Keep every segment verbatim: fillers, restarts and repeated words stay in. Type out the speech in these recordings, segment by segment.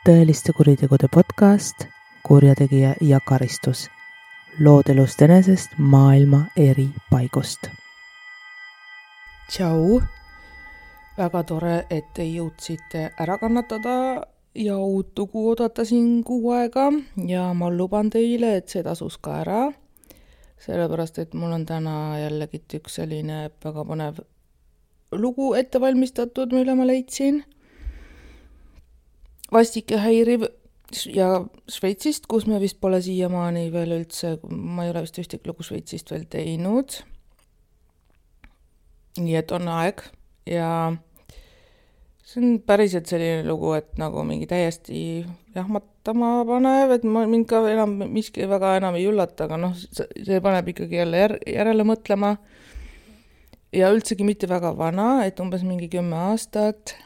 tõeliste kuritegude podcast Kurjategija ja karistus. Lood elust enesest maailma eri paigust. Tšau! Väga tore, et te jõudsite ära kannatada ja uut lugu oodata siin kuu aega ja ma luban teile, et see tasus ka ära. Sellepärast, et mul on täna jällegi üks selline väga põnev lugu ette valmistatud, mille ma leidsin. Vastik ja häiriv ja Šveitsist, kus me vist pole siiamaani veel üldse, ma ei ole vist ühtegi lugu Šveitsist veel teinud. Nii et on aeg ja see on päriselt selline lugu, et nagu mingi täiesti jahmatama panev, et ma mind ka enam miski väga enam ei üllata, aga noh, see paneb ikkagi jälle jär, järele mõtlema ja üldsegi mitte väga vana, et umbes mingi kümme aastat.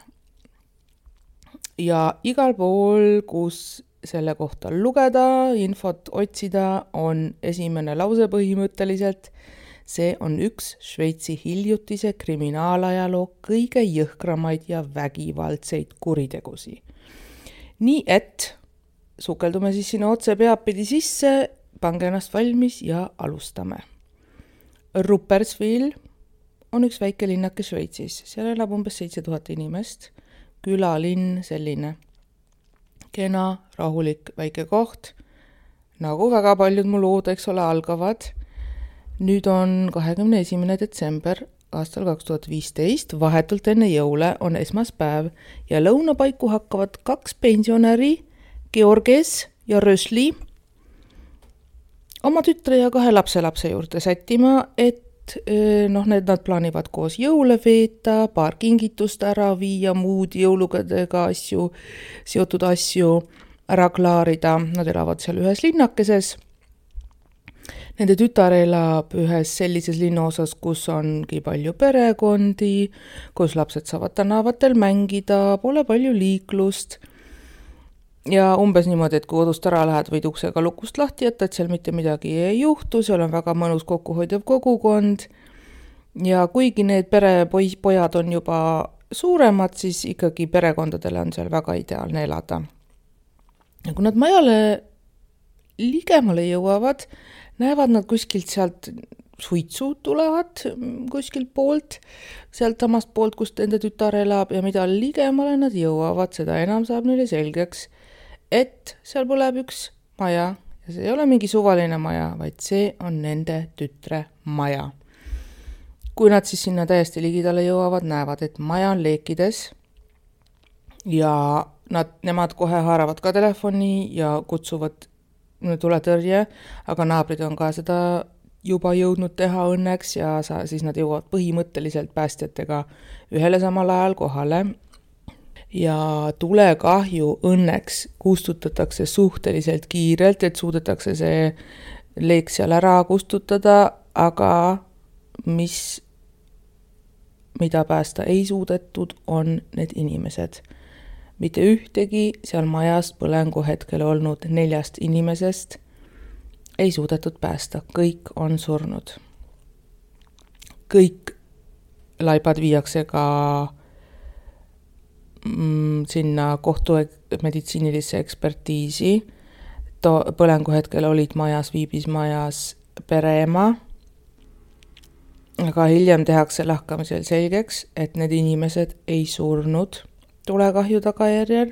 Ja igal pool, kus selle kohta lugeda, infot otsida, on esimene lause põhimõtteliselt. See on üks Šveitsi hiljutise kriminaalajaloo kõige jõhkramaid ja vägivaldseid kuritegusi. Nii et sukeldume siis sinna otse peapidi sisse, pange ennast valmis ja alustame. Rupperswil on üks väike linnake Šveitsis. Seal elab umbes seitse tuhat inimest. Külalinn selline kena, rahulik, väike koht, nagu väga paljud mu lood, eks ole, algavad. Nüüd on kahekümne esimene detsember aastal kaks tuhat viisteist, vahetult enne jõule on esmaspäev ja lõunapaiku hakkavad kaks pensionäri, Georges ja Rösli, oma tütre ja kahe lapselapse juurde sättima, et noh, need nad plaanivad koos jõule veeta, paar kingitust ära viia, muud jõulugedega asju, seotud asju ära klaarida. Nad elavad seal ühes linnakeses. Nende tütar elab ühes sellises linnaosas, kus ongi palju perekondi, kus lapsed saavad tänavatel mängida, pole palju liiklust. Ja umbes niimoodi, et kui kodust ära lähed, võid uksega lukust lahti jätta, et seal mitte midagi ei juhtu, seal on väga mõnus kokkuhoidev kogukond. Ja kuigi need perepojad on juba suuremad, siis ikkagi perekondadele on seal väga ideaalne elada. Ja kui nad majale ligemale jõuavad, näevad nad kuskilt sealt suitsu tulevad kuskilt poolt, sealt samast poolt, kus enda tütar elab ja mida ligemale nad jõuavad, seda enam saab neile selgeks, et seal põleb üks maja ja see ei ole mingi suvaline maja, vaid see on nende tütre maja. Kui nad siis sinna täiesti ligidale jõuavad, näevad, et maja on leekides ja nad, nemad kohe haaravad ka telefoni ja kutsuvad tuletõrje, aga naabrid on ka seda juba jõudnud teha õnneks ja sa, siis nad jõuavad põhimõtteliselt päästjatega ühele samal ajal kohale. Ja tulekahju õnneks kustutatakse suhteliselt kiirelt, et suudetakse see leek seal ära kustutada, aga mis, mida päästa ei suudetud, on need inimesed. Mitte ühtegi seal majast põlengu hetkel olnud neljast inimesest ei suudetud päästa. Kõik on surnud. Kõik laibad viiakse ka sinna kohtu meditsiinilisse ekspertiisi. To, põlengu hetkel olid majas, viibis majas pereema. Aga hiljem tehakse lahkamisel selgeks, et need inimesed ei surnud tulekahju tagajärjel.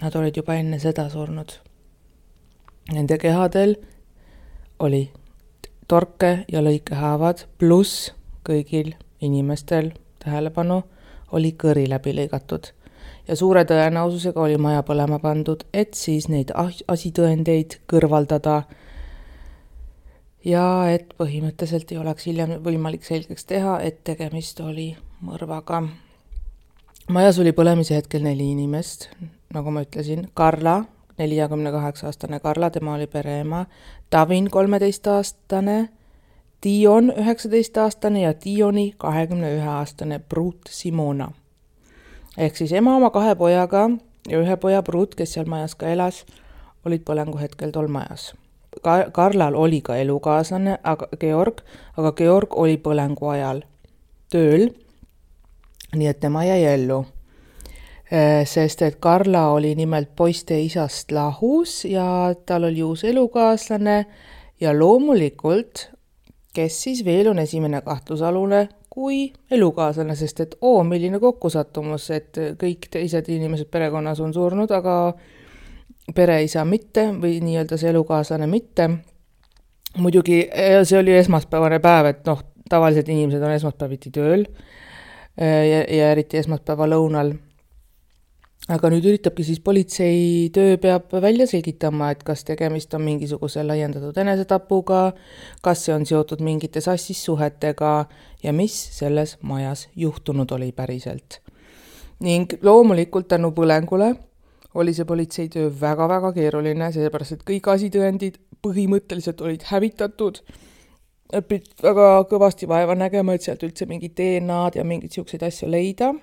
Nad olid juba enne seda surnud. Nende kehadel oli torke ja lõikehaavad, pluss kõigil inimestel, tähelepanu, oli kõri läbi lõigatud. Ja suure tõenäosusega oli maja põlema pandud, et siis neid asitõendeid kõrvaldada ja et põhimõtteliselt ei oleks hiljem võimalik selgeks teha, et tegemist oli mõrvaga. Majas oli põlemise hetkel neli inimest, nagu ma ütlesin, Karla, nelikümmend kaheksa aastane Karla, tema oli pereema, Tavin, kolmeteist aastane, Dion, üheksateist aastane ja Dioni, kahekümne ühe aastane Brut Simona. Ehk siis ema oma kahe pojaga ja ühe poja Brut, kes seal majas ka elas, olid põlengu hetkel tol majas. Ka- Karlal oli ka elukaaslane, aga Georg, aga Georg oli põlengu ajal tööl, nii et tema jäi ellu. sest et Karla oli nimelt poiste isast lahus ja tal oli uus elukaaslane ja loomulikult, kes siis veel on esimene kahtlusalune kui elukaaslane, sest et oo, milline kokkusattumus, et kõik teised inimesed perekonnas on surnud, aga pereisa mitte või nii-öelda see elukaaslane mitte. Muidugi see oli esmaspäevane päev, et noh, tavaliselt inimesed on esmaspäeviti tööl ja, ja eriti esmaspäeva lõunal. Aga nüüd üritabki siis politsei töö peab välja selgitama, et kas tegemist on mingisuguse laiendatud enesetapuga, kas see on seotud mingite sassis suhetega ja mis selles majas juhtunud oli päriselt. Ning loomulikult tänu põlengule oli see politsei töö väga-väga keeruline, sellepärast et kõik asitõendid põhimõtteliselt olid hävitatud. Pid väga kõvasti vaeva nägema, et sealt üldse mingid D N A-d ja mingid siukseid asju leida.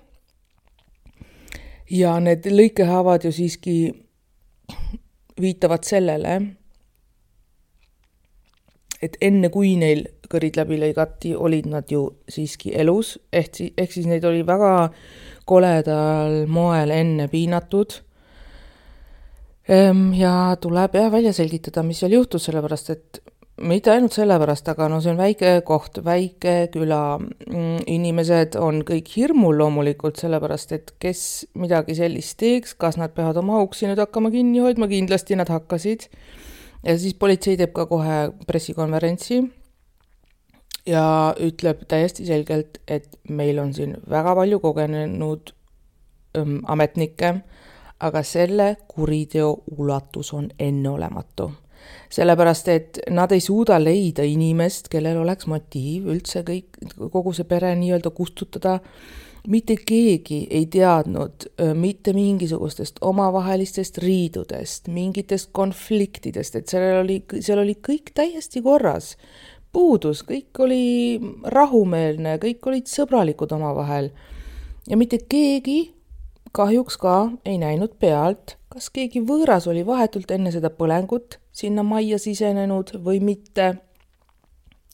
Ja need lõikehaavad ju siiski viitavad sellele, et enne kui neil kõrid läbi lõigati, olid nad ju siiski elus, ehk, ehk siis neid oli väga koledal moel enne piinatud. Ja tuleb jah välja selgitada, mis seal juhtus, sellepärast, et mitte ainult sellepärast, aga no see on väike koht, väike küla. Inimesed on kõik hirmul loomulikult, sellepärast, et kes midagi sellist teeks, kas nad peavad oma auksi nüüd hakkama kinni hoidma, kindlasti nad hakkasid. Ja siis politsei teeb ka kohe pressikonverentsi ja ütleb täiesti selgelt, et meil on siin väga palju kogenenud ähm, ametnikke, aga selle kuriteo ulatus on enneolematu. Sellepärast, et nad ei suuda leida inimest, kellel oleks motiiv üldse kõik, kogu see pere nii-öelda kustutada. Mitte keegi ei teadnud mitte mingisugustest omavahelistest riidudest, mingitest konfliktidest, et seal oli, seal oli kõik täiesti korras. Puudus, kõik oli rahumeelne, kõik olid sõbralikud omavahel. Ja mitte keegi kahjuks ka ei näinud pealt, kas keegi võõras oli vahetult enne seda põlengut sinna majja sisenenud või mitte.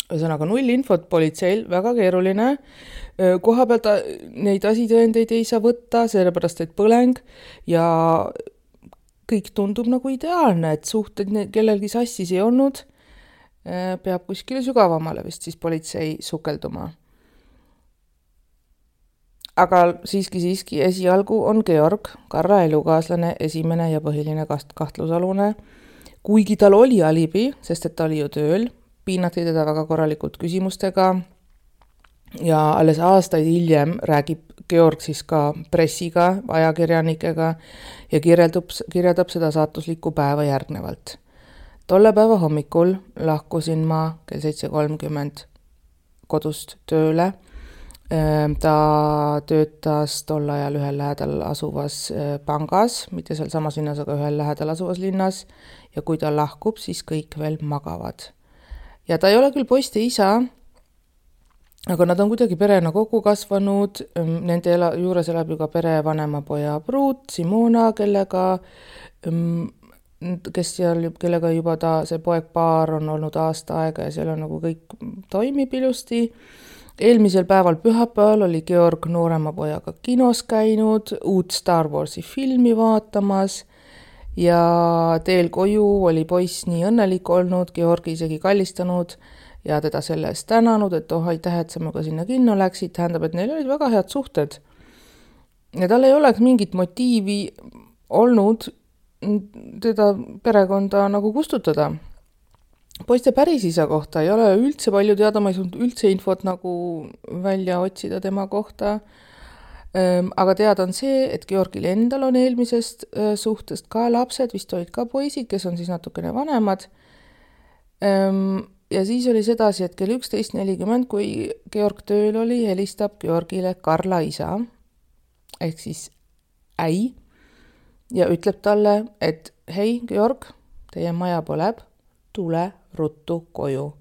Ühesõnaga null infot politseil, väga keeruline. Koha pealt neid asitõendeid ei saa võtta, sellepärast et põleng ja kõik tundub nagu ideaalne, et suhted kellelgi sassis ei olnud, peab kuskile sügavamale vist siis politsei sukelduma. Aga siiski siiski esialgu on Georg, Karla elukaaslane, esimene ja põhiline kahtlusalune. Kuigi tal oli alibi, sest et ta oli ju tööl, piinati teda väga korralikult küsimustega ja alles aastaid hiljem räägib Georg siis ka pressiga, ajakirjanikega ja kirjeldab, kirjeldab seda saatuslikku päeva järgnevalt. Tolle päeva hommikul lahkusin ma kell seitse kolmkümmend kodust tööle. Ta töötas tol ajal ühel lähedal asuvas pangas, mitte seal samas linnas, aga ühel lähedal asuvas linnas ja kui ta lahkub, siis kõik veel magavad. Ja ta ei ole küll poiste isa, aga nad on kuidagi perena kokku kasvanud, nende ela, juures elab ju ka pere vanema poja pruut, Simona, kellega, kes seal, kellega juba ta, see poeg paar on olnud aasta aega ja seal on nagu kõik toimib ilusti. Eelmisel päeval pühapäeval oli Georg noorema pojaga kinos käinud, uut Star Warsi filmi vaatamas ja teel koju oli poiss nii õnnelik olnud, Georgi isegi kallistanud ja teda selle eest tänanud, et oh, aitäh, et sa minuga sinna kinno läksid, tähendab, et neil olid väga head suhted. Ja tal ei oleks mingit motiivi olnud teda perekonda nagu kustutada. Poiste päris isa kohta ei ole üldse palju teada, ma ei saanud üldse infot nagu välja otsida tema kohta. Aga teada on see, et Georgil endal on eelmisest suhtest ka lapsed, vist olid ka poisid, kes on siis natukene vanemad. Ja siis oli sedasi, et kell üksteist nelikümmend, kui Georg tööl oli, helistab Georgile Karla isa, ehk siis äi, ja ütleb talle, et hei, Georg, teie maja põleb, tule ruttu koju.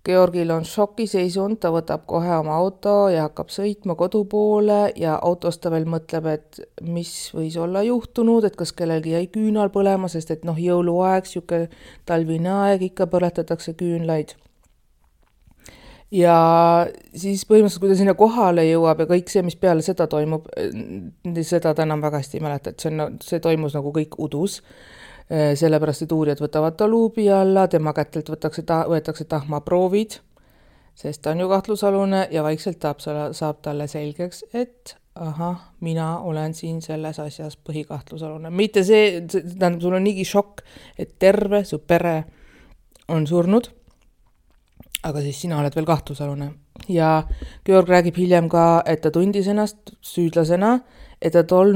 Georgil on šokiseisund, ta võtab kohe oma auto ja hakkab sõitma kodu poole ja autos ta veel mõtleb, et mis võis olla juhtunud, et kas kellelgi jäi küünal põlema, sest et noh, jõuluaeg, siuke talvine aeg, ikka põletatakse küünlaid. ja siis põhimõtteliselt, kui ta sinna kohale jõuab ja kõik see, mis peale seda toimub, seda ta enam väga hästi ei mäleta, et see, on, see toimus nagu kõik udus, sellepärast, et uurijad võtavad ta luubi alla, tema kätelt võtakse ta, võetakse tahmaproovid, sest ta on ju kahtlusalune ja vaikselt saab, saab talle selgeks, et ahah, mina olen siin selles asjas põhikahtlusalune. Mitte see, tähendab, sul on niigi šokk, et terve su pere on surnud, aga siis sina oled veel kahtlusalune. Ja Georg räägib hiljem ka, et ta tundis ennast süüdlasena, et ta tol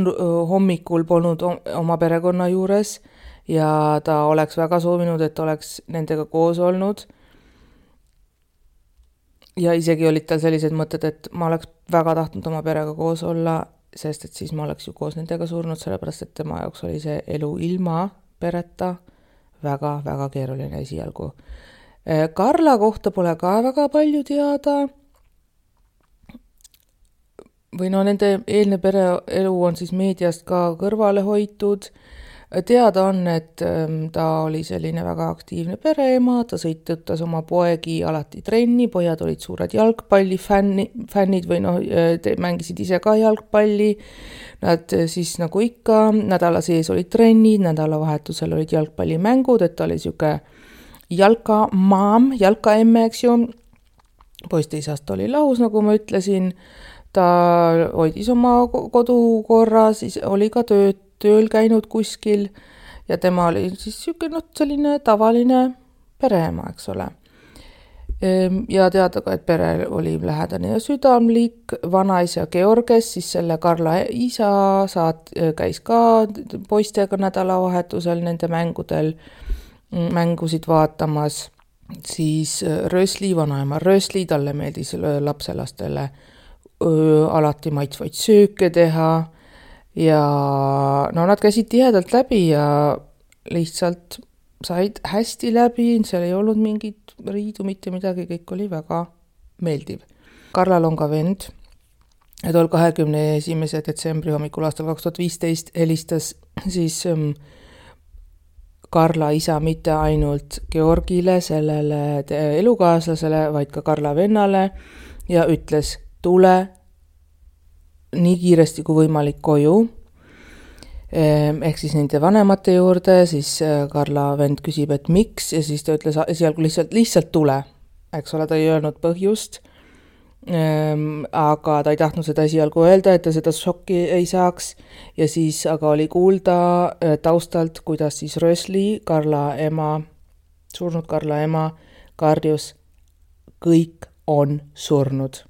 hommikul polnud oma perekonna juures ja ta oleks väga soovinud, et oleks nendega koos olnud. Ja isegi olid tal sellised mõtted, et ma oleks väga tahtnud oma perega koos olla, sest et siis ma oleks ju koos nendega surnud, sellepärast, et tema jaoks oli see elu ilma pereta väga-väga keeruline esialgu. Karla kohta pole ka väga palju teada. Või no nende eelne pereelu on siis meediast ka kõrvale hoitud. Teada on, et ta oli selline väga aktiivne pereema, ta sõitus oma poegi alati trenni, pojad olid suured jalgpallifänni, fännid või noh, mängisid ise ka jalgpalli. Nad siis nagu ikka, nädala sees olid trennid, nädalavahetusel olid jalgpallimängud, et ta oli siuke jalka maam, jalka emme, eks ju. Poiste isast oli lahus, nagu ma ütlesin. Ta hoidis oma kodu korra, siis oli ka tööd, tööl käinud kuskil ja tema oli siis siuke, no, selline tavaline pereema, eks ole. Ja teada ka, et pere oli lähedane ja südamlik. Vanaisa Georges, siis selle Karla isa saat, käis ka poistega nädalavahetusel nende mängudel mängusid vaatamas, siis Rösli, vanaema Rösli, talle meeldis lapselastele öö, alati maitsvaid sööke teha ja no nad käisid tihedalt läbi ja lihtsalt said hästi läbi, seal ei olnud mingit riidu, mitte midagi, kõik oli väga meeldiv. Karlal on ka vend, ja tol kahekümne esimese detsembri hommikul aastal kaks tuhat viisteist helistas siis ähm, Karla isa mitte ainult Georgile, sellele elukaaslasele, vaid ka Karla vennale ja ütles, tule nii kiiresti kui võimalik koju. Ehk siis nende vanemate juurde, siis Karla vend küsib, et miks, ja siis ta ütles esialgu lihtsalt, lihtsalt tule. Eks ole, ta ei öelnud põhjust, aga ta ei tahtnud seda esialgu öelda, et ta seda šokki ei saaks ja siis aga oli kuulda taustalt, kuidas siis Rösli, Karla ema, surnud Karla ema, karjus, kõik on surnud.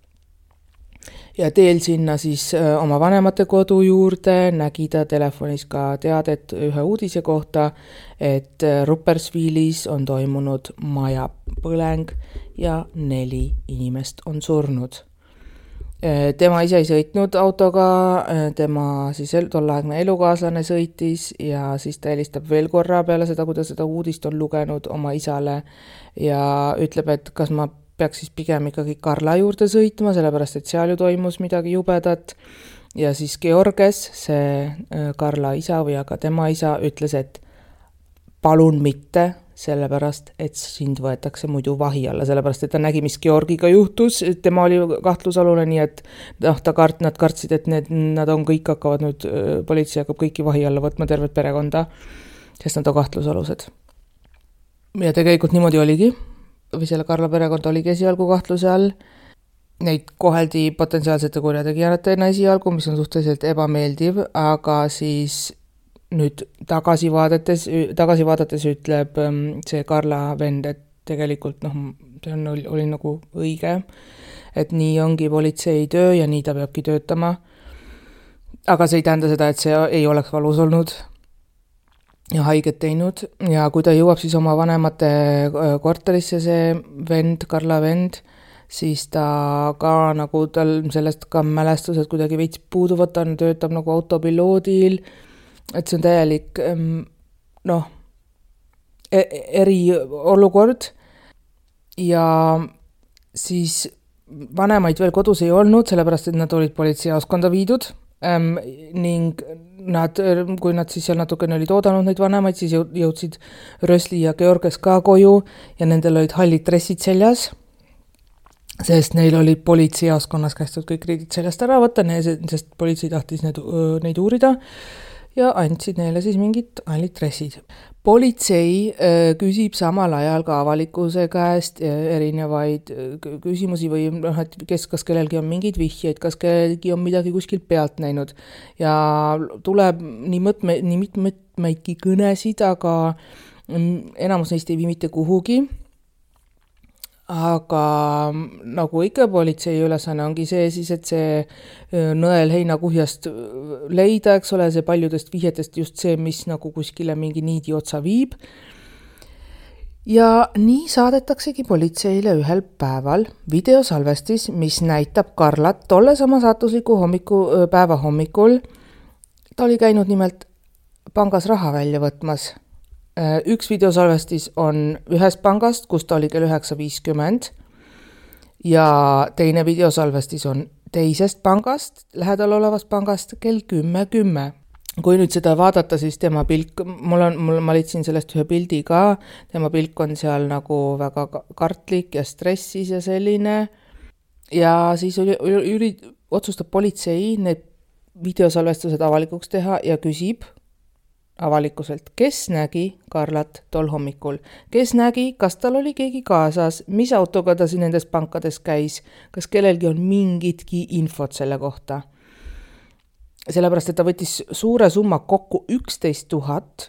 Ja teel sinna siis oma vanemate kodu juurde nägi ta telefonis ka teadet ühe uudise kohta, et Ruppersvilis on toimunud maja põleng ja neli inimest on surnud. Tema ise ei sõitnud autoga, tema siis tollaegne elukaaslane sõitis ja siis ta helistab veel korra peale seda, kui ta seda uudist on lugenud oma isale ja ütleb, et kas ma peaks siis pigem ikkagi Karla juurde sõitma, sellepärast et seal ju toimus midagi jubedat. Ja siis Georges, see Karla isa või aga tema isa ütles, et palun mitte, sellepärast et sind võetakse muidu vahi alla, sellepärast et ta nägi, mis Georgiga juhtus, tema oli kahtlusalune, nii et noh, ta kart, nad kartsid, et need, nad on kõik hakkavad nüüd, politsei hakkab kõiki vahi alla võtma tervet perekonda, sest nad on kahtlusalused. Ja tegelikult niimoodi oligi. Või selle Karla perekond oligi esialgu kahtluse all. Neid koheldi potentsiaalsete kurjategijatena esialgu, mis on suhteliselt ebameeldiv, aga siis nüüd tagasi vaadates, tagasi vaadates ütleb see Karla vend, et tegelikult noh, see on, oli, oli nagu õige, et nii ongi politsei töö ja nii ta peabki töötama. Aga see ei tähenda seda, et see ei oleks valus olnud ja haiget teinud ja kui ta jõuab siis oma vanemate korterisse, see vend, Karla vend, siis ta ka nagu tal sellest ka mälestused kuidagi veits puuduvad, ta töötab nagu autopiloodil, et see on täielik noh, eri olukord ja siis vanemaid veel kodus ei olnud, sellepärast et nad olid politseijaoskonda viidud ähm, ning nad, kui nad siis seal natukene olid oodanud neid vanemaid, siis jõudsid Rösli ja Georges ka koju ja nendel olid hallid dressid seljas. sest neil oli politseiaskonnas kästud kõik riidid sellest ära võtta, sest politsei tahtis need, neid uurida ja andsid neile siis mingid hallid dressid. Politsei küsib samal ajal ka avalikkuse käest erinevaid küsimusi või noh, et kes, kas kellelgi on mingeid vihjeid, kas kellelgi on midagi kuskilt pealt näinud ja tuleb nii, mõtme, nii mitmeidki kõnesid, aga enamus neist ei vii mitte kuhugi. Aga nagu ikka politsei ülesanne ongi see siis, et see nõel heinakuhjast leida, eks ole, see paljudest vihjetest just see, mis nagu kuskile mingi niidi otsa viib. Ja nii saadetaksegi politseile ühel päeval videosalvestis, mis näitab Karlat tolle sama saatusliku hommiku, päeva hommikul. Ta oli käinud nimelt pangas raha välja võtmas. Üks videosalvestis on ühest pangast, kus ta oli kell üheksa viiskümmend ja teine videosalvestis on teisest pangast, lähedal olevast pangast kell kümme kümme. Kui nüüd seda vaadata, siis tema pilk, mul on, mul, ma leidsin sellest ühe pildi ka, tema pilk on seal nagu väga kartlik ja stressis ja selline ja siis oli, üri, otsustab politsei need videosalvestused avalikuks teha ja küsib avalikkuselt, kes nägi Karlat tol hommikul, kes nägi, kas tal oli keegi kaasas, mis autoga ta siin nendes pankades käis, kas kellelgi on mingitki infot selle kohta. Sellepärast, et ta võttis suure summa kokku üksteist tuhat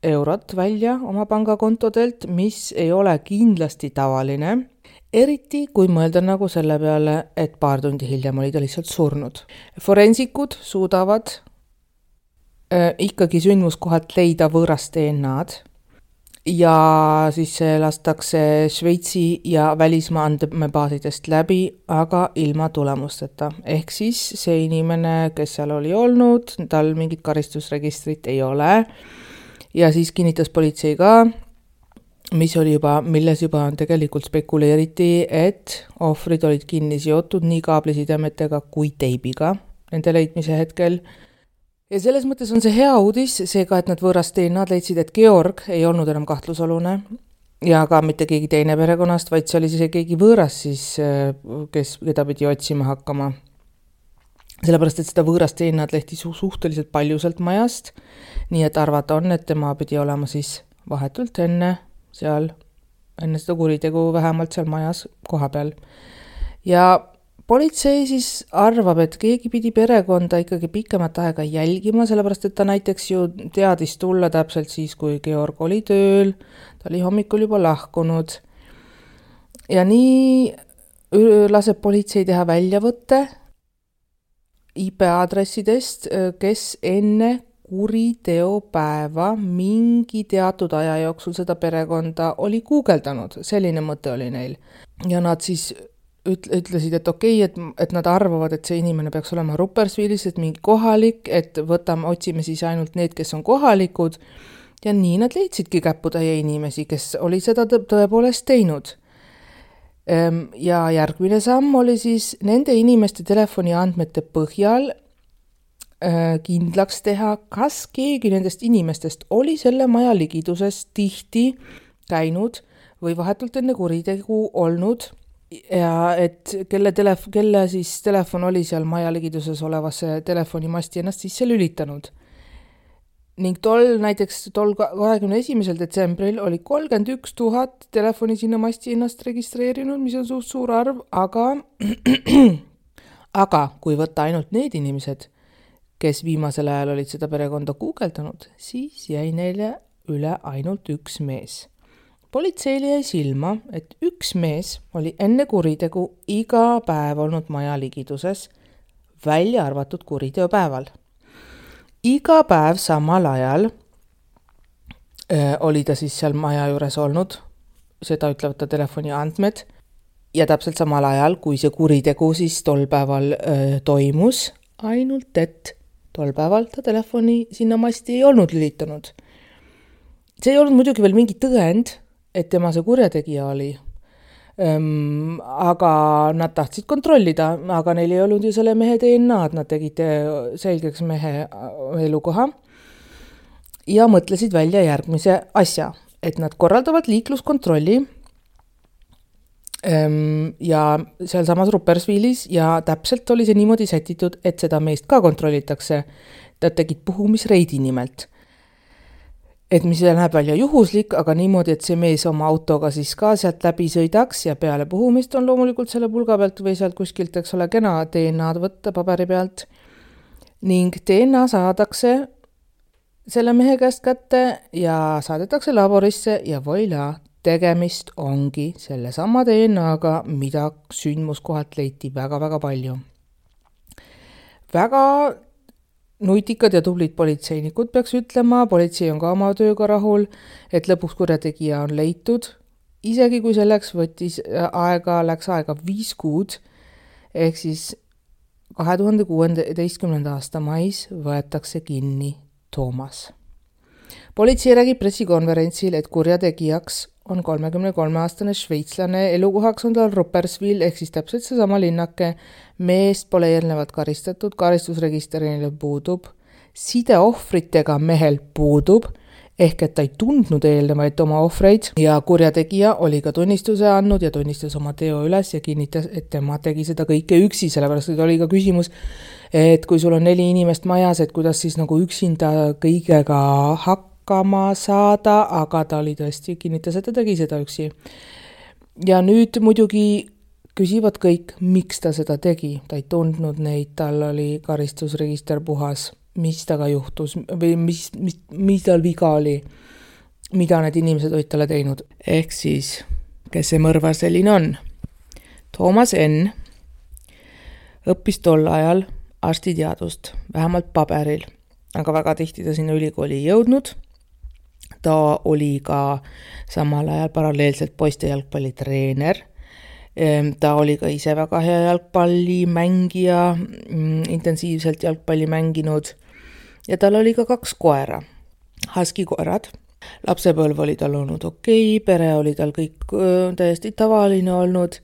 eurot välja oma pangakontodelt, mis ei ole kindlasti tavaline, eriti kui mõelda nagu selle peale, et paar tundi hiljem oli ta lihtsalt surnud. Forensikud suudavad ikkagi sündmuskohalt leida võõrast D N A-d ja siis see lastakse Šveitsi ja välismaa andmebaasidest läbi, aga ilma tulemusteta. Ehk siis see inimene, kes seal oli olnud, tal mingit karistusregistrit ei ole ja siis kinnitas politsei ka, mis oli juba, milles juba tegelikult spekuleeriti, et ohvrid olid kinni seotud nii kaablisidemetega kui teibiga nende leidmise hetkel. Ja selles mõttes on see hea uudis, seega, et nad võõrast D N A-d leidsid, et Georg ei olnud enam kahtlusolune ja ka mitte keegi teine perekonnast, vaid see oli see keegi võõras siis, kes, keda pidi otsima hakkama. Sellepärast, et seda võõrast D N A-d lehti su- suhteliselt palju sealt majast, nii et arvata on, et tema pidi olema siis vahetult enne seal, enne seda kuritegu vähemalt seal majas koha peal. Ja politsei siis arvab, et keegi pidi perekonda ikkagi pikemat aega jälgima, sellepärast, et ta näiteks ju teadis tulla täpselt siis, kui Georg oli tööl, ta oli hommikul juba lahkunud. Ja nii laseb politsei teha väljavõtte I P-aadressidest, kes enne kuriteopäeva mingi teatud aja jooksul seda perekonda oli guugeldanud. Selline mõte oli neil. Ja nad siis ütlesid, et okei, et, et nad arvavad, et see inimene peaks olema Ruppersvilis, et mingi kohalik, et võtame, otsime siis ainult need, kes on kohalikud ja nii nad leidsidki käputäie inimesi, kes oli seda tõepoolest teinud. Ja järgmine samm oli siis nende inimeste telefoni andmete põhjal kindlaks teha, kas keegi nendest inimestest oli selle maja ligiduses tihti käinud või vahetult enne kuritegu olnud ja et kelle, telef- kelle siis telefon oli seal maja ligiduses olevasse telefonimasti ennast sisse lülitanud. Ning tol näiteks tol kahekümne esimesel detsembril oli kolmkümmend üks tuhat telefoni sinna masti ennast registreerinud, mis on suht suur arv, aga, aga kui võtta ainult need inimesed, kes viimasel ajal olid seda perekonda guugeldanud, siis jäi neile üle ainult üks mees. Politseile jäi silma, et üks mees oli enne kuritegu iga päev olnud maja ligiduses, välja arvatud kuriteopäeval. Iga päev samal ajal öö, oli ta siis seal maja juures olnud, seda ütlevad ta telefoni andmed, ja täpselt samal ajal, kui see kuritegu siis tol päeval öö, toimus, ainult et tol päeval ta telefoni sinna masti ei olnud lülitanud. See ei olnud muidugi veel mingi tõend, et tema see kurjategija oli. Öm, aga nad tahtsid kontrollida, aga neil ei olnud ju selle mehe D N A-d, nad tegid selgeks mehe elukoha ja mõtlesid välja järgmise asja, et nad korraldavad liikluskontrolli ja sealsamas Ruppersvilis ja täpselt oli see niimoodi sätitud, et seda meest ka kontrollitakse. Ta tegid puhumisreidi nimelt. Et mis näeb välja juhuslik, aga niimoodi, et see mees oma autoga siis ka sealt läbi sõidaks ja peale puhumist on loomulikult selle pulga pealt või sealt kuskilt, eks ole, kena D N A-d võtta paberi pealt. Ning D N A saadakse selle mehe käest kätte ja saadetakse laborisse ja voila, tegemist ongi selle sama D N A-ga, mida sündmuskohalt leiti väga-väga palju. Väga nutikad ja tublid politseinikud peaks ütlema, politsei on ka oma tööga rahul, et lõpuks kurjategija on leitud. Isegi kui selleks võttis aega, läks aega viis kuud, ehk siis kahe tuhande kuueteistkümnenda aasta mais võetakse kinni Toomas. Politsei räägib pressikonverentsil, et kurjategijaks on kolmekümne kolme aastane šveitslane, elukohaks on tal Ruppersvil, ehk siis täpselt seesama linnake, meest pole eelnevalt karistatud, karistusregisterile puudub, side ohvritega mehel puudub, ehk et ta ei tundnud eelnevaid oma ohvreid ja kurjategija oli ka tunnistuse andnud ja tunnistas oma teo üles ja kinnitas, et tema tegi seda kõike üksi, sellepärast et oli ka küsimus, et kui sul on neli inimest majas, et kuidas siis nagu üksinda kõigega hakkama saada, aga ta oli tõesti kinnitas, et ta tegi seda üksi. Ja nüüd muidugi küsivad kõik, miks ta seda tegi. Ta ei tundnud neid, tal oli karistusregister puhas, mis taga juhtus või mis, mis, mis tal viga oli, mida need inimesed olid talle teinud. Ehk siis, kes see mõrvar selline on? Toomas N. õppis tol ajal arstiteadust, vähemalt paberil, aga väga tihti ta sinna ülikooli ei jõudnud. Ta oli ka samal ajal paralleelselt poiste jalgpallitreener. Ta oli ka ise väga hea jalgpallimängija, intensiivselt jalgpalli mänginud ja tal oli ka kaks koera, husky koerad. Lapsepõlv oli tal olnud okei, pere oli tal kõik täiesti tavaline olnud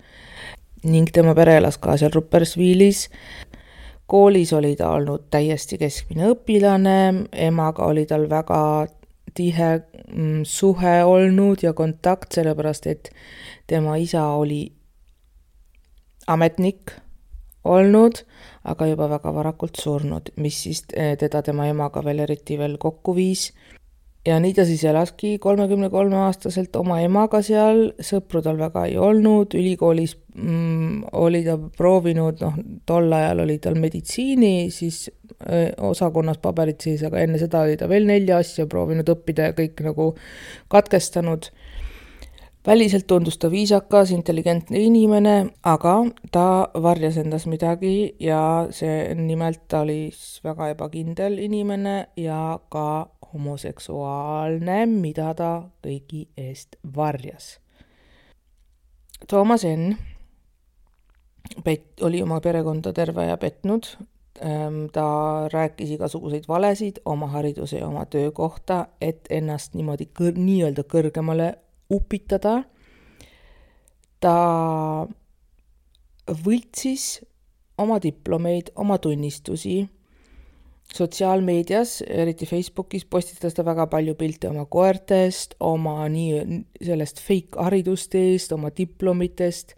ning tema pere elas ka seal Ruppersvilis. Koolis oli ta olnud täiesti keskmine õpilane, emaga oli tal väga tihe suhe olnud ja kontakt, sellepärast et tema isa oli ametnik olnud, aga juba väga varakult surnud, mis siis teda tema emaga veel eriti veel kokku viis. Ja nii ta siis elaski kolmekümne kolme aastaselt oma emaga seal, sõpru tal väga ei olnud, ülikoolis mm, oli ta proovinud, noh, tol ajal oli tal meditsiini, siis öö, osakonnas paberid siis, aga enne seda oli ta veel nelja asja proovinud õppida ja kõik nagu katkestanud. Väliselt tundus ta viisakas, intelligentne inimene, aga ta varjas endas midagi ja see nimelt ta oli väga ebakindel inimene ja ka homoseksuaalne, mida ta kõigi eest varjas. Toomas N. Pet, oli oma perekonda terve ja petnud. Ta rääkis igasuguseid valesid oma hariduse ja oma töö kohta, et ennast niimoodi kõr, nii-öelda kõrgemale upitada. Ta võltsis oma diplomeid, oma tunnistusi. Sotsiaalmeedias, eriti Facebookis, postitas ta väga palju pilte oma koertest, oma nii sellest fake haridustest, oma diplomitest.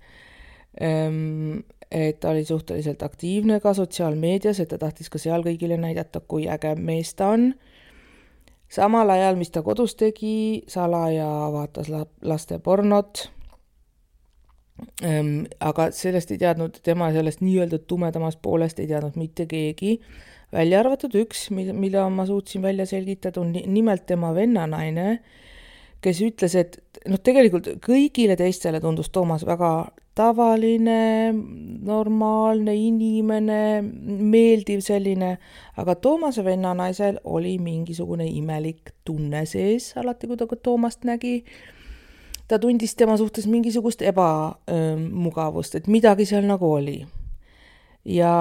Et ta oli suhteliselt aktiivne ka sotsiaalmeedias, et ta tahtis ka seal kõigile näidata, kui äge mees ta on. Samal ajal, mis ta kodus tegi, salaja vaatas laste pornot, ähm, aga sellest ei teadnud, tema sellest nii-öelda tumedamast poolest ei teadnud mitte keegi, välja arvatud üks, mille ma suutsin välja selgitada, on nimelt tema vennanaine, kes ütles, et noh, tegelikult kõigile teistele tundus Toomas väga tavaline, normaalne inimene, meeldiv selline, aga Toomase vennanaisel oli mingisugune imelik tunne sees, alati kui ta Toomast nägi. Ta tundis tema suhtes mingisugust ebamugavust, et midagi seal nagu oli. Ja,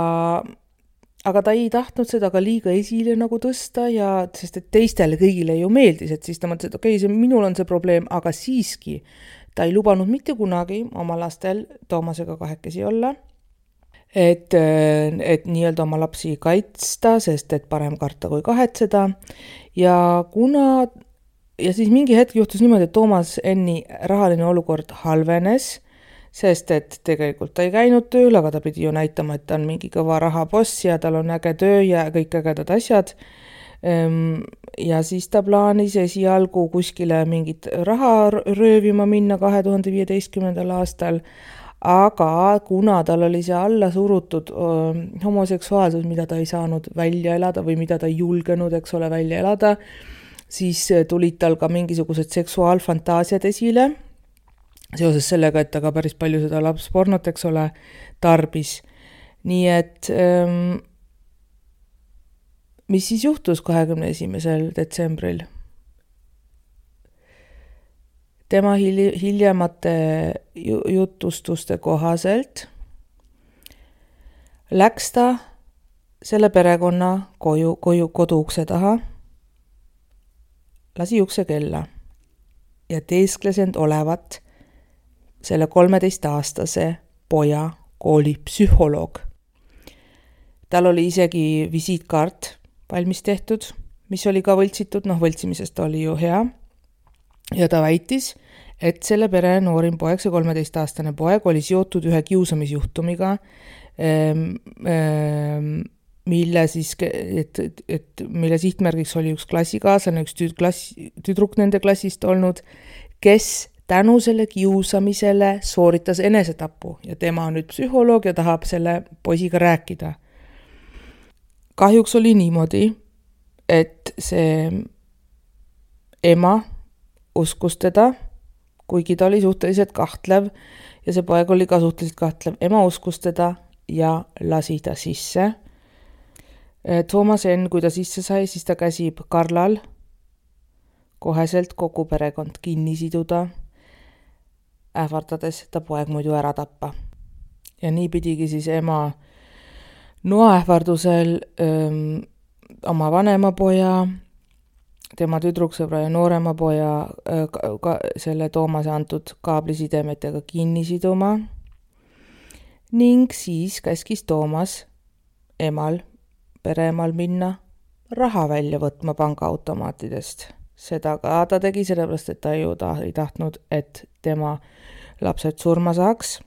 aga ta ei tahtnud seda ka liiga esile nagu tõsta, ja, sest et teistele kõigile ju meeldis, et siis ta mõtles, et okei, see, minul on see probleem, aga siiski ta ei lubanud mitte kunagi oma lastel Toomasega kahekesi olla, et, et nii-öelda oma lapsi kaitsta, sest et parem karta kui kahetseda. Ja kuna, ja siis mingi hetk juhtus niimoodi, et Toomas N-i rahaline olukord halvenes, sest et tegelikult ta ei käinud tööl, aga ta pidi ju näitama, et ta on mingi kõva rahaboss ja tal on äge töö ja kõik ägedad asjad. Ja siis ta plaanis esialgu kuskile mingit raha röövima minna kahe tuhande viieteistkümnendal aastal, aga kuna tal oli see alla surutud homoseksuaalsus, mida ta ei saanud välja elada või mida ta ei julgenud, eks ole, välja elada, siis tulid tal ka mingisugused seksuaalfantaasiad esile, seoses sellega, et ta ka päris palju seda lapspornot, eks ole, tarbis. Nii et ähm, mis siis juhtus kahekümne esimesel detsembril? Tema hiljemate jutustuste kohaselt läks ta selle perekonna koju, koju, kodu ukse taha, lasi ukse kella ja teeskles end olevat selle kolmeteistaastase poja koolipsühholoog. Tal oli isegi visiitkaart valmis tehtud, mis oli ka võltsitud, noh võltsimisest oli ju hea. Ja ta väitis, et selle pere noorim poeg, see kolmeteistaastane poeg, oli seotud ühe kiusamisjuhtumiga, mille siis, et, et, et mille sihtmärgiks oli üks klassikaaslane, üks tüd, klass, tüdruk nende klassist olnud, kes tänu selle kiusamisele sooritas enesetapu ja tema on nüüd psühholoog ja tahab selle poisiga rääkida. Kahjuks oli niimoodi, et see ema uskus teda, kuigi ta oli suhteliselt kahtlev ja see poeg oli ka suhteliselt kahtlev. Ema uskus teda ja lasi ta sisse. Toomas N, kui ta sisse sai, siis ta käsib Karlal koheselt kogu perekond kinni siduda, ähvardades ta poeg muidu ära tappa. Ja nii pidigi siis ema noaähvardusel öö, oma vanema poja, tema tüdruksõbra ja noorema poja ka, ka, selle Toomase antud kaablisidemetega kinni siduma ning siis käskis Toomas emal, pereemal minna raha välja võtma pangaautomaatidest. Seda ka ta tegi sellepärast, et ta ju ta ei tahtnud, et tema lapsed surma saaks.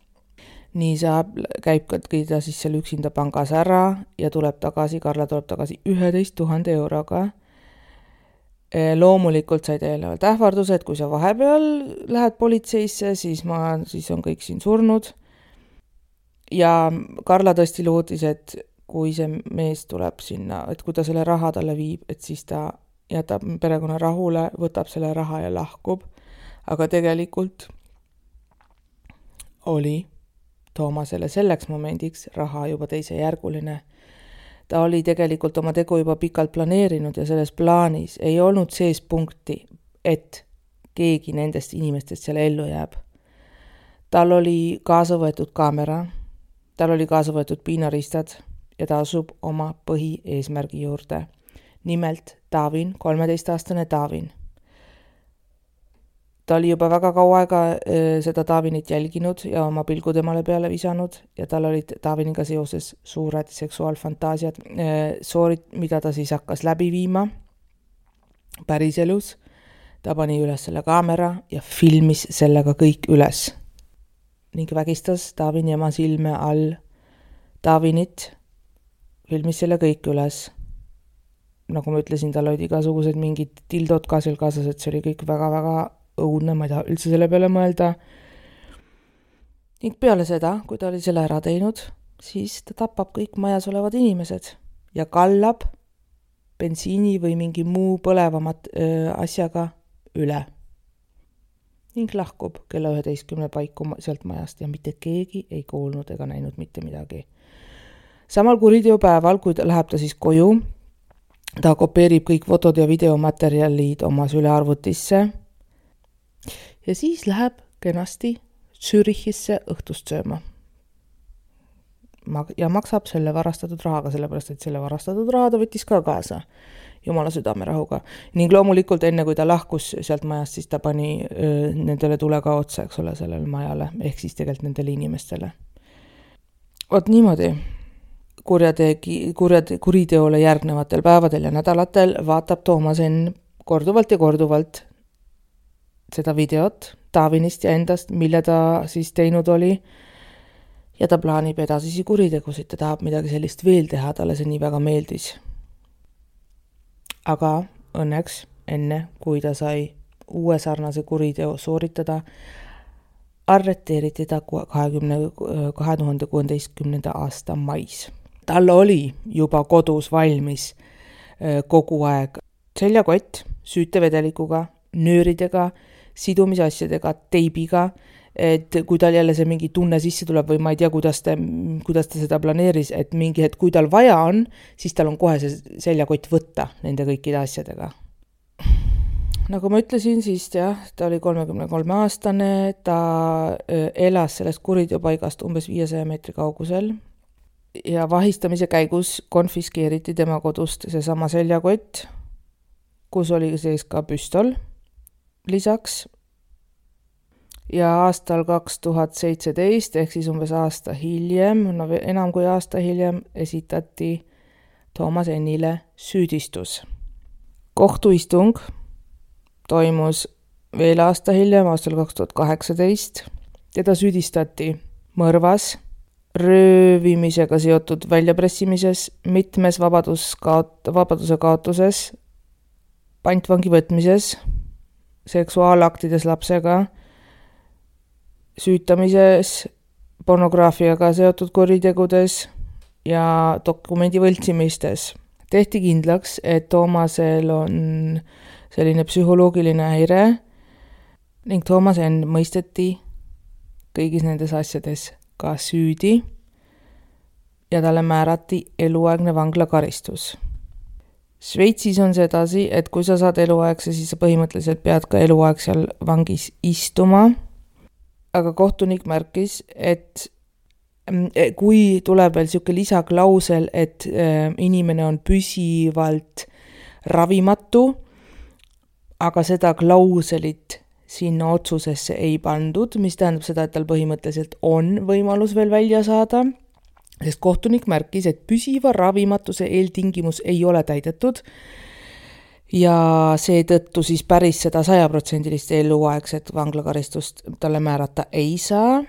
Nii saab, käib ta siis seal üksinda pangas ära ja tuleb tagasi, Karla tuleb tagasi üheteist tuhande euroga. Loomulikult said eelnevalt ähvarduse, et kui sa vahepeal lähed politseisse, siis, ma, siis on kõik siin surnud. Ja Karla tõesti lootis, et kui see mees tuleb sinna, et kui ta selle raha talle viib, et siis ta jätab perekonna rahule, võtab selle raha ja lahkub. Aga tegelikult oli Toomasele selleks momendiks raha juba teise järguline. Ta oli tegelikult oma tegu juba pikalt planeerinud ja selles plaanis ei olnud sees punkti, et keegi nendest inimestest selle ellu jääb. Tal oli kaasa võetud kaamera, tal oli kaasa võetud piinaristad ja ta asub oma põhieesmärgi juurde. Nimelt Taavin, kolmeteistaastane Taavin. Ta oli juba väga kaua aega seda Taavinit jälginud ja oma pilgu temale peale visanud ja tal olid Taaviniga seoses suured seksuaalfantaasiad, soorit, mida ta siis hakkas läbi viima päriselus. Ta pani üles selle kaamera ja filmis sellega kõik üles ning vägistas Taavini ema silme all Taavinit, filmis selle kõik üles. Nagu ma ütlesin, tal olid igasugused mingid tildod ka seal kaasas, et see oli kõik väga-väga õudne, ma ei taha üldse selle peale mõelda. Ning peale seda, kui ta oli selle ära teinud, siis ta tapab kõik majas olevad inimesed ja kallab bensiini või mingi muu põlevamat öö, asjaga üle. Ning lahkub kella üheteistkümne paiku sealt majast ja mitte keegi ei kuulnud ega näinud mitte midagi. Samal kuriteopäeval, kui ta läheb ta siis koju, ta kopeerib kõik fotod ja videomaterjalid oma sülearvutisse ja siis läheb kenasti Zürichisse õhtust sööma. Ja maksab selle varastatud rahaga, sellepärast, et selle varastatud raha ta võttis ka kaasa Jumala südamerahuga. Ning loomulikult enne, kui ta lahkus sealt majast, siis ta pani öö, nendele tule ka otsa, eks ole, sellele majale, ehk siis tegelikult nendele inimestele. Ot niimoodi. Kurjategi, kurjate, kuriteole järgnevatel päevadel ja nädalatel vaatab Toomas N korduvalt ja korduvalt seda videot Stavinist ja endast, mille ta siis teinud oli. Ja ta plaanib edasisi kuritegusid, ta tahab midagi sellist veel teha, talle see nii väga meeldis. Aga õnneks enne, kui ta sai uue sarnase kuriteo sooritada, arreteeriti ta kahe tuhande kuueteistkümnenda aasta mais. Tal oli juba kodus valmis kogu aeg seljakott süütevedelikuga, nööridega, sidumisasjadega, teibiga, et kui tal jälle see mingi tunne sisse tuleb või ma ei tea, kuidas ta, kuidas ta seda planeeris, et mingi hetk, kui tal vaja on, siis tal on kohe see seljakott võtta nende kõikide asjadega. Nagu ma ütlesin, siis jah, ta oli kolmekümne kolme aastane, ta elas sellest kuriteopaigast umbes viiesaja meetri kaugusel ja vahistamise käigus konfiskeeriti tema kodust seesama seljakott, kus oli sees ka püstol lisaks. Ja aastal kaks tuhat seitseteist ehk siis umbes aasta hiljem, no enam kui aasta hiljem, esitati Toomas Ennile süüdistus. Kohtuistung toimus veel aasta hiljem, aastal kaks tuhat kaheksateist. Teda süüdistati mõrvas, röövimisega seotud väljapressimises, mitmes vabadus kaot- vabaduse kaotuses, pantvangi võtmises, seksuaalaktides lapsega, süütamises, pornograafiaga seotud kuritegudes ja dokumendi võltsimistes. Tehti kindlaks, et Toomasel on selline psühholoogiline häire ning Toomas Enn mõisteti kõigis nendes asjades ka süüdi ja talle määrati eluaegne vanglakaristus. Šveitsis on see edasi, et kui sa saad eluaegse, siis sa põhimõtteliselt pead ka eluaeg seal vangis istuma. Aga kohtunik märkis, et kui tuleb veel siuke lisaklausel, et inimene on püsivalt ravimatu, aga seda klauselit sinna otsusesse ei pandud, mis tähendab seda, et tal põhimõtteliselt on võimalus veel välja saada, sest kohtunik märkis, et püsiva ravimatuse eeltingimus ei ole täidetud ja seetõttu siis päris seda sajaprotsendilist eluaegset vanglakaristust talle määrata ei saa.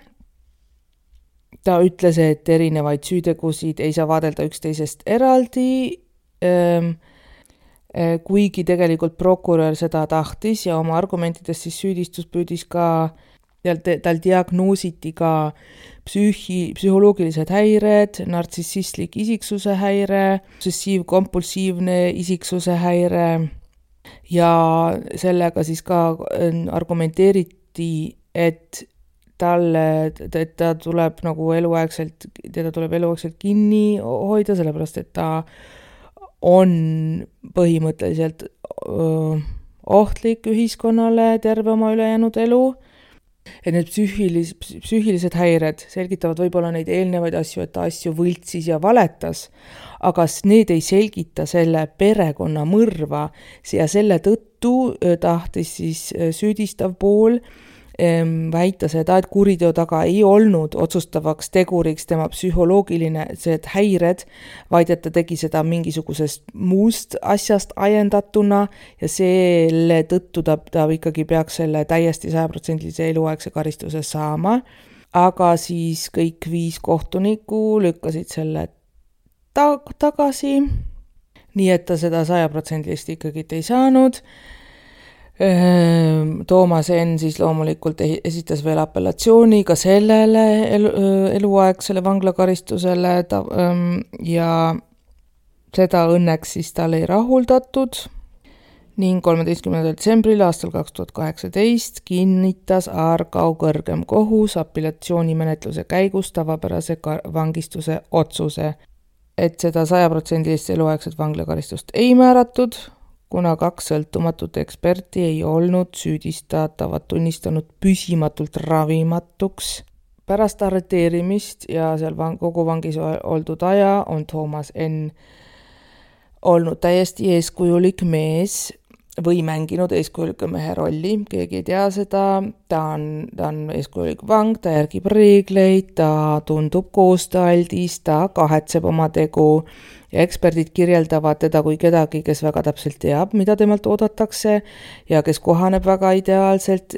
Ta ütles, et erinevaid süütegusid ei saa vaadelda üksteisest eraldi, kuigi tegelikult prokurör seda tahtis ja oma argumentidest siis süüdistus püüdis ka, tal diagnoositi ka psüühi, psühholoogilised häired, nartsissistlik isiksuse häire, obsessiiv-kompulsiivne isiksuse häire ja sellega siis ka argumenteeriti, et talle, et ta tuleb nagu eluaegselt, teda tuleb eluaegselt kinni hoida, sellepärast et ta on põhimõtteliselt öö, ohtlik ühiskonnale terve oma ülejäänud elu. Et need psüühilis, psüühilised häired selgitavad võib-olla neid eelnevaid asju, et ta asju võltsis ja valetas, aga need ei selgita selle perekonna mõrva ja selle tõttu tahtis siis süüdistav pool väita seda, et kuriteo taga ei olnud otsustavaks teguriks tema psühholoogiline see häired, vaid et ta tegi seda mingisugusest muust asjast ajendatuna ja selle tõttu ta, ta ikkagi peaks selle täiesti sajaprotsendilise eluaegse karistuse saama. Aga siis kõik viis kohtunikku lükkasid selle ta- tagasi, nii et ta seda sajaprotsendilist ikkagi ei saanud. Toomas Enn siis loomulikult esitas veel apellatsiooni ka sellele elu, eluaegsele vanglakaristusele ta, ja seda õnneks siis tal ei rahuldatud ning kolmeteistkümnendal detsembril aastal kaks tuhat kaheksateist kinnitas Aargau kõrgem kohus apellatsioonimenetluse käigus tavapärase vangistuse otsuse, et seda sajaprotsendilist eluaegset vanglakaristust ei määratud, kuna kaks sõltumatut eksperti ei olnud süüdistatavat tunnistanud püsimatult ravimatuks. Pärast arreteerimist ja seal vang, kogu vangis oldud aja on Toomas Enn olnud täiesti eeskujulik mees või mänginud eeskujuliku mehe rolli, keegi ei tea seda, ta on, ta on eeskujulik vang, ta järgib reegleid, ta tundub koostööaldis, ta kahetseb oma tegu ja eksperdid kirjeldavad teda kui kedagi, kes väga täpselt teab, mida temalt oodatakse ja kes kohaneb väga ideaalselt,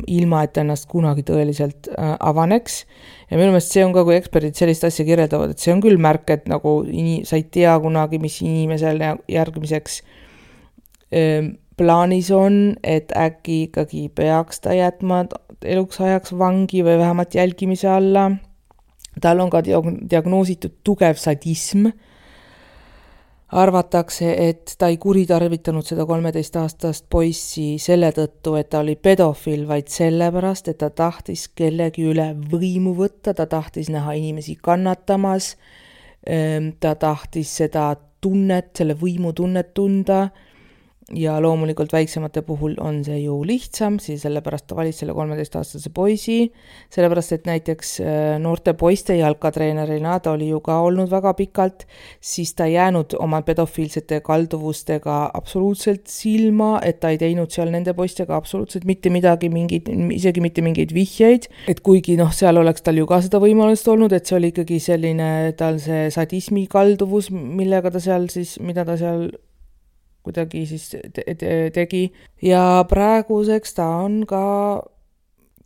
ilma et ennast kunagi tõeliselt avaneks. Ja minu meelest see on ka, kui eksperdid sellist asja kirjeldavad, et see on küll märk, et nagu ini, sa ei tea kunagi, mis inimesel järgmiseks plaanis on, et äkki ikkagi peaks ta jätma eluks ajaks vangi või vähemalt jälgimise alla. Tal on ka diagnoositud tugev sadism. Arvatakse, et ta ei kuritarvitanud seda kolmeteist aastast poissi selle tõttu, et ta oli pedofiil, vaid sellepärast, et ta tahtis kellegi üle võimu võtta, ta tahtis näha inimesi kannatamas, ta tahtis seda tunnet, selle võimu tunnet tunda. Ja loomulikult väiksemate puhul on see ju lihtsam, siis sellepärast ta valis selle kolmeteist aastase poisi, sellepärast et näiteks noorte poiste jalkatreenerina, ta oli ju ka olnud väga pikalt, siis ta jäänud oma pedofiilsete kalduvustega absoluutselt silma, et ta ei teinud seal nende poistega absoluutselt mitte midagi, mingid, isegi mitte mingeid vihjeid, et kuigi noh, seal oleks tal ju ka seda võimalust olnud, et see oli ikkagi selline tal see sadismi kalduvus, millega ta seal siis, mida ta seal kuidagi siis te- te- tegi. Ja praeguseks ta on ka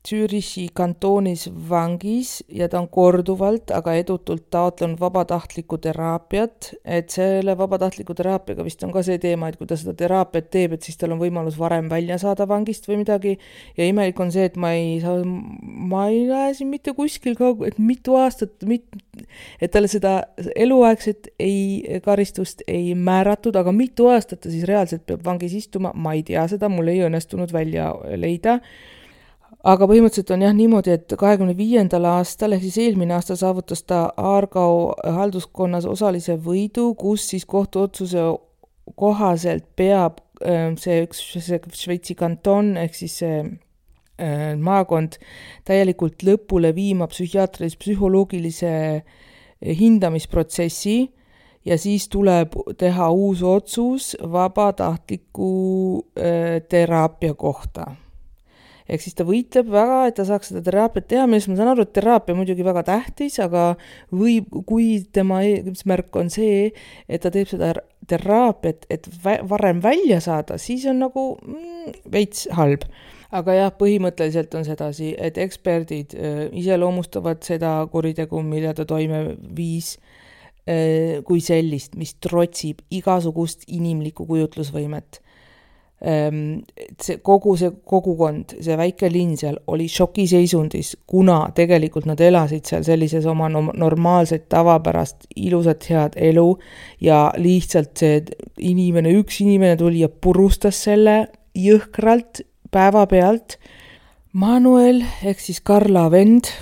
Zürichi kantoonis vangis ja ta on korduvalt, aga edutult taotlenud vabatahtlikku teraapiat, et selle vabatahtliku teraapiaga vist on ka see teema, et kui ta seda teraapiat teeb, et siis tal on võimalus varem välja saada vangist või midagi. Ja imelik on see, et ma ei saa, ma ei näe siin mitte kuskil ka, et mitu aastat, mit, et talle seda eluaegset ei, karistust ei määratud, aga mitu aastat ta siis reaalselt peab vangis istuma, ma ei tea seda, mul ei õnnestunud välja leida. Aga põhimõtteliselt on jah niimoodi, et kahekümne viiendal aastal, ehk siis eelmine aasta saavutas ta Aargau halduskonnas osalise võidu, kus siis kohtuotsuse kohaselt peab see üks see Šveitsi kanton, ehk siis see maakond täielikult lõpule viima psühhiaatrilise psühholoogilise hindamisprotsessi ja siis tuleb teha uus otsus vabatahtliku teraapia kohta. Ehk siis ta võitleb väga, et ta saaks seda teraapiat teha, millest ma saan aru, et teraapia muidugi väga tähtis, aga või kui tema eesmärk on see, et ta teeb seda teraapiat, et varem välja saada, siis on nagu mm, veits halb. Aga jah, põhimõtteliselt on sedasi, et eksperdid äh, iseloomustavad seda kuritegu, mille ta toime viis äh, kui sellist, mis trotsib igasugust inimlikku kujutlusvõimet. See, kogu see kogukond, see väike linn seal oli šokiseisundis, kuna tegelikult nad elasid seal sellises oma normaalset, tavapärast, ilusat, head elu ja lihtsalt see inimene, üks inimene tuli ja purustas selle jõhkralt päeva pealt. Manuel, ehk siis Karla vend,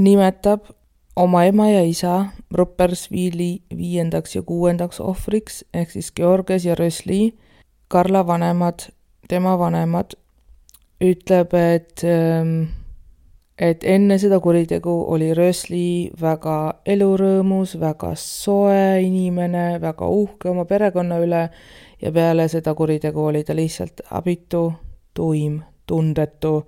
nimetab oma ema ja isa Rupperswili viiendaks ja kuuendaks ohvriks, ehk siis Georges ja Rösli. Karla vanemad, tema vanemad, ütleb, et, et enne seda kuritegu oli Rösli väga elurõõmus, väga soe inimene, väga uhke oma perekonna üle ja peale seda kuritegu oli ta lihtsalt abitu, tuim, tundetu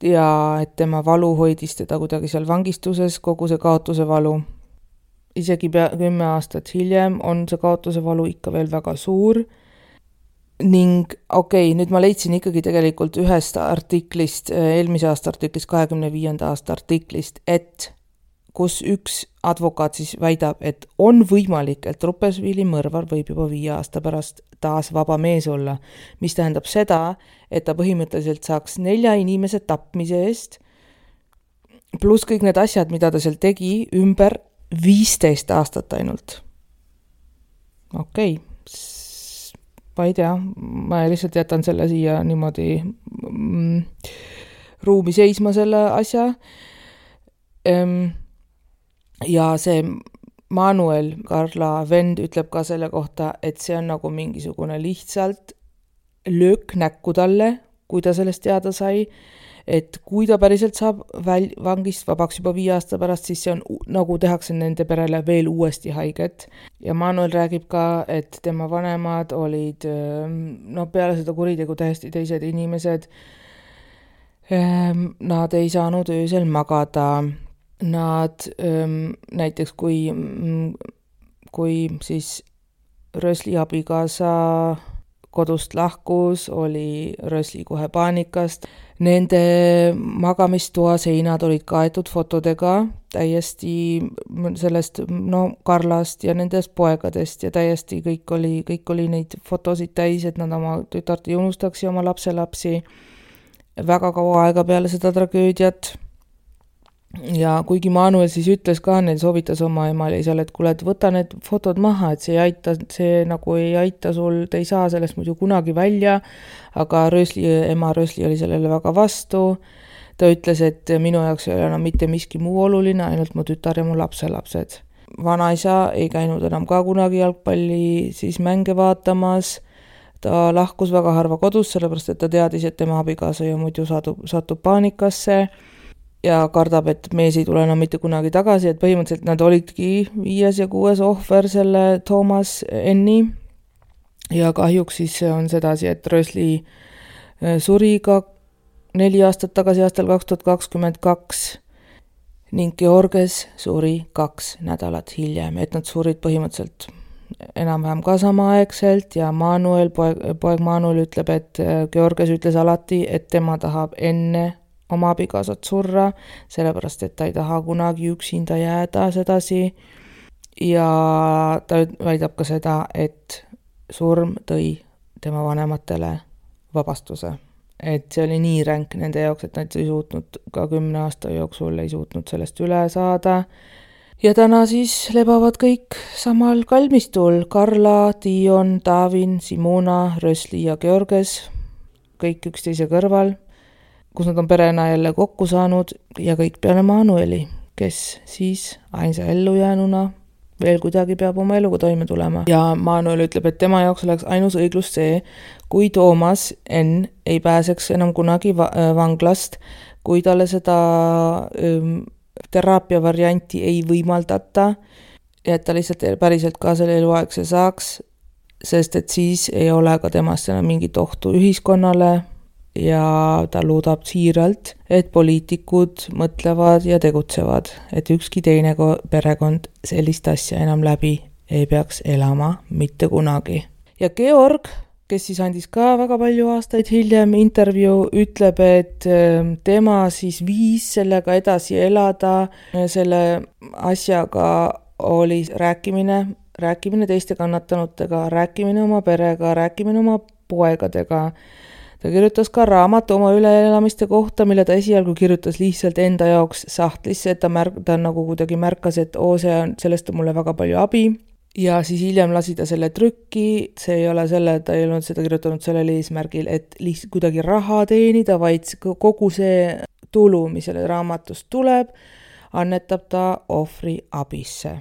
ja et tema valu hoidis teda kuidagi seal vangistuses, kogu see kaotuse valu. Isegi pea kümme aastat hiljem on see kaotuse valu ikka veel väga suur. Ning okei, okay, nüüd ma leidsin ikkagi tegelikult ühest artiklist, eelmise aasta artiklist, kahekümne viienda aasta artiklist, et kus üks advokaat siis väidab, et on võimalik, et Rupperswili mõrvar võib juba viie aasta pärast taas vaba mees olla, mis tähendab seda, et ta põhimõtteliselt saaks nelja inimese tapmise eest, pluss kõik need asjad, mida ta seal tegi, ümber viisteist aastat ainult. Okei, okay. Ma ei tea, ma lihtsalt jätan selle siia niimoodi mm, ruumi seisma selle asja. Ehm, ja see Manuel, Karla vend, ütleb ka selle kohta, et see on nagu mingisugune lihtsalt löök näkku talle, kui ta sellest teada sai, et kui ta päriselt saab väl- vangist vabaks juba viie aasta pärast, siis see on nagu tehakse nende perele veel uuesti haiget. Ja Manuel räägib ka, et tema vanemad olid no peale seda kuritegu täiesti teised inimesed. Nad ei saanud öösel magada. Nad näiteks kui, kui siis Rösli abikaasa kodust lahkus, oli Rösli kohe paanikast. Nende magamistoa seinad olid kaetud fotodega täiesti sellest no, Karlast ja nendest poegadest ja täiesti kõik oli, kõik oli neid fotosid täis, et nad oma tütart ei unustaks ja oma lapselapsi väga kaua aega peale seda tragöödiat. Ja kuigi Manuel siis ütles ka, neil soovitas oma emal ja isal, et kuule, et võta need fotod maha, et see ei aita, see nagu ei aita sul, te ei saa sellest muidu kunagi välja, aga Rösli, ema Rösli oli sellele väga vastu. Ta ütles, et minu jaoks ei ole enam mitte miski muu oluline, ainult mu tütar ja mu lapselapsed. Vanaisa ei käinud enam ka kunagi jalgpalli siis mänge vaatamas. Ta lahkus väga harva kodus, sellepärast et ta teadis, et tema abikaasa ja muidu satub, satub paanikasse. Ja kardab, et mees ei tule enam mitte kunagi tagasi, et põhimõtteliselt nad olidki viies ja kuues ohver selle Thomas Enni. Ja kahjuks siis on sedasi, et Rösli suri ka neli aastat tagasi aastal kaks tuhat kakskümmend kaks ning Georges suri kaks nädalat hiljem, et nad surid põhimõtteliselt enam-vähem ka samaaegselt ja Manuel, poeg, poeg Manuel ütleb, et Georges ütles alati, et tema tahab enne oma abikaasat surra, sellepärast, et ta ei taha kunagi üksinda jääda sedasi. Ja ta väidab ka seda, et surm tõi tema vanematele vabastuse. Et see oli nii ränk nende jaoks, et nad ei suutnud ka kümne aasta jooksul ei suutnud sellest üle saada. Ja täna siis lebavad kõik samal kalmistul. Karla, Dion, Davin, Simona, Rösli ja Georges, kõik üksteise kõrval, kus nad on perena jälle kokku saanud ja kõik peale Manueli, kes siis ainsa ellujäänuna veel kuidagi peab oma eluga toime tulema. Ja Manuel ütleb, et tema jaoks oleks ainus õiglus see, kui Thomas N ei pääseks enam kunagi vanglast, kui talle seda ähm, teraapia varianti ei võimaldata ja et ta lihtsalt päriselt ka selle eluaegse saaks, sest et siis ei ole ka temast enam mingit ohtu ühiskonnale ja ta loodab siiralt, et poliitikud mõtlevad ja tegutsevad, et ükski teine perekond sellist asja enam läbi ei peaks elama mitte kunagi. Ja Georg, kes siis andis ka väga palju aastaid hiljem intervjuu, ütleb, et tema siis viis sellega edasi elada, selle asjaga oli rääkimine, rääkimine teiste kannatanutega, rääkimine oma perega, rääkimine oma poegadega. Ta kirjutas ka raamatu oma üleelamiste kohta, mille ta esialgu kirjutas lihtsalt enda jaoks sahtlisse, et ta, märk, ta nagu kuidagi märkas, et oo, see on, sellest on mulle väga palju abi. Ja siis hiljem lasi ta selle trükki, see ei ole selle, ta ei olnud seda kirjutanud sellel eesmärgil, et lihtsalt kuidagi raha teenida, vaid kogu see tulu, mis selle raamatust tuleb, annetab ta ohvri abisse.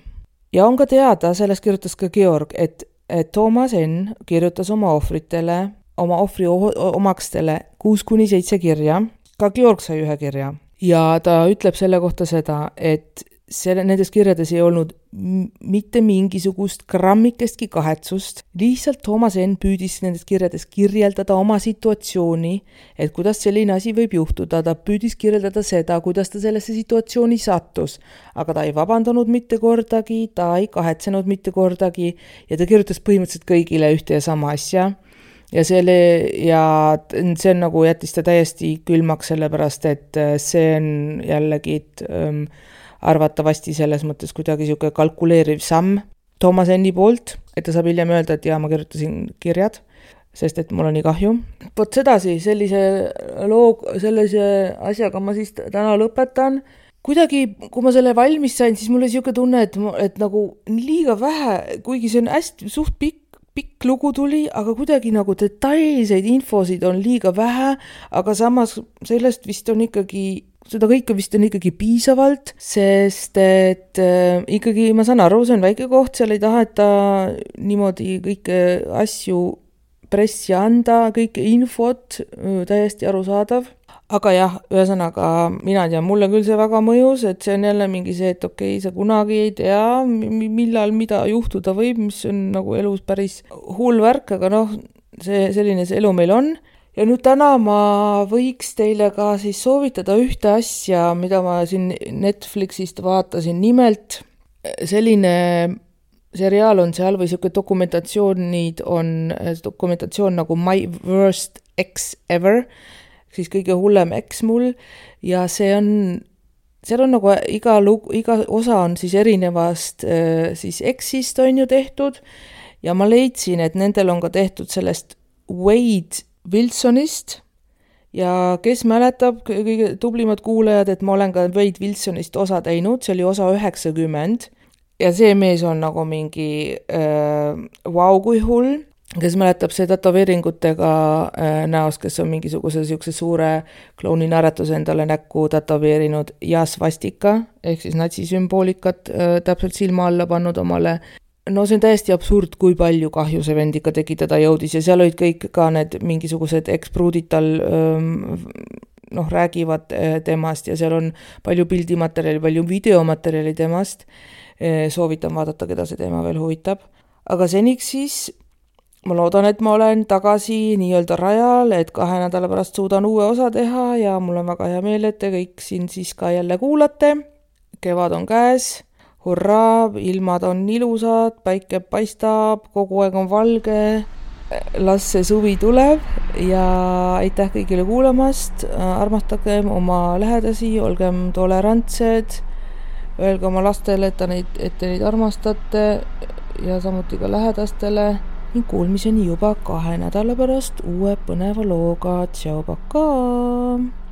Ja on ka teada, sellest kirjutas ka Georg, et, et Thomas N kirjutas oma ohvritele oma ohvri omakstele kuus kuni seitse kirja, ka Georg sai ühe kirja. Ja ta ütleb selle kohta seda, et selle, nendes kirjades ei olnud m- mitte mingisugust grammikestki kahetsust, lihtsalt Thomas N püüdis nendes kirjades kirjeldada oma situatsiooni, et kuidas selline asi võib juhtuda, ta püüdis kirjeldada seda, kuidas ta sellesse situatsiooni sattus, aga ta ei vabandanud mitte kordagi, ta ei kahetsenud mitte kordagi ja ta kirjutas põhimõtteliselt kõigile ühte ja sama asja. Ja, selle, ja see on nagu jättis ta täiesti külmaks, sellepärast, et see on jällegi ähm, arvatavasti selles mõttes kuidagi siuke kalkuleeriv samm Thomas Enni poolt, et ta saab hiljem öelda, et jaa, ma kirjutasin kirjad, sest et mul on nii kahju. Vot sedasi, sellise loo, sellise asjaga ma siis täna lõpetan. Kuidagi, kui ma selle valmis sain, siis mul oli siuke tunne, et, et nagu liiga vähe, kuigi see on hästi suht pikk, pikk lugu tuli, aga kuidagi nagu detailseid infosid on liiga vähe, aga samas sellest vist on ikkagi, seda kõike vist on ikkagi piisavalt, sest et äh, ikkagi ma saan aru, see on väike koht, seal ei taheta niimoodi kõike asju pressi anda, kõike infot, täiesti arusaadav, aga jah, ühesõnaga mina tean, mulle küll see väga mõjus, et see on jälle mingi see, et okei, sa kunagi ei tea, millal mida juhtuda võib, mis on nagu elus päris hull värk, aga noh, see selline see elu meil on. Ja nüüd täna ma võiks teile ka siis soovitada ühte asja, mida ma siin Netflixist vaatasin. Nimelt selline seriaal on seal või selline dokumentatsioonid on dokumentatsioon nagu My Worst Ex Ever, siis kõige hullem eks mul, ja see on, seal on nagu iga, lugu, iga osa on siis erinevast siis eksist on ju tehtud, ja ma leidsin, et nendel on ka tehtud sellest Wade Wilsonist, ja kes mäletab, kõige tublimad kuulajad, et ma olen ka Wade Wilsonist osa teinud, see oli osa üheksakümmend, ja see mees on nagu mingi äh, vau kui hull, kes mäletab see tätoveeringutega äh, näost, kes on mingisuguse siukse suure klouni naeratuse endale näkku tätoveerinud ja svastika, ehk siis natsisümboolikat äh, täpselt silma alla pannud omale. No see on täiesti absurd, kui palju kahju see vend ikka tekitada jõudis, ja seal olid kõik ka need mingisugused ekspruudid tal ähm, noh, räägivad äh, temast, ja seal on palju pildimaterjali, palju videomaterjali temast. Äh, soovitan vaadata, keda see teema veel huvitab. Aga seniks siis ma loodan, et ma olen tagasi nii-öelda rajal, et kahe nädala pärast suudan uue osa teha, ja mul on väga hea meel, et te kõik siin siis ka jälle kuulate. Kevad on käes, hurraa, ilmad on ilusad, päike paistab, kogu aeg on valge, las see suvi tuleb, ja aitäh kõigile kuulamast, armastagem oma lähedasi, olgem tolerantsed, öelge oma lastele, et, neid, et te neid armastate, ja samuti ka lähedastele. Kuulmiseni juba kahe nädala pärast uue põneva looga. Tšau, pakaa!